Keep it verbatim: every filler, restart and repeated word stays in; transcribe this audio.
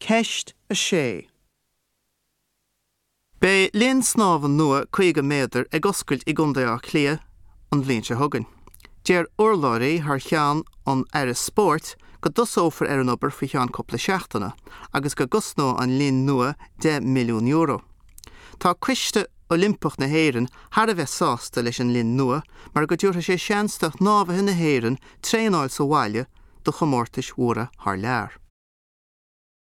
Ceist a sé. Beidh linn snámha nua caoga méadar ag oscailt i gContae Átha Cliath an bhliain seo chugainn. Deir urlabhraí thar cheann an Aire Spóirt go dtosófar ar an obair faoi cheann cúpla seachtaine agus go gcosnóidh an linn nua deich milliún euro. Tá Coiste Oilimpeach na hÉireann thar a bheith sásta leis an linn nua mar go dtabharfaidh sé seans do shnámhaithe na hÉireann traenáil sa bhaile do chomórtais mhóra thar lear.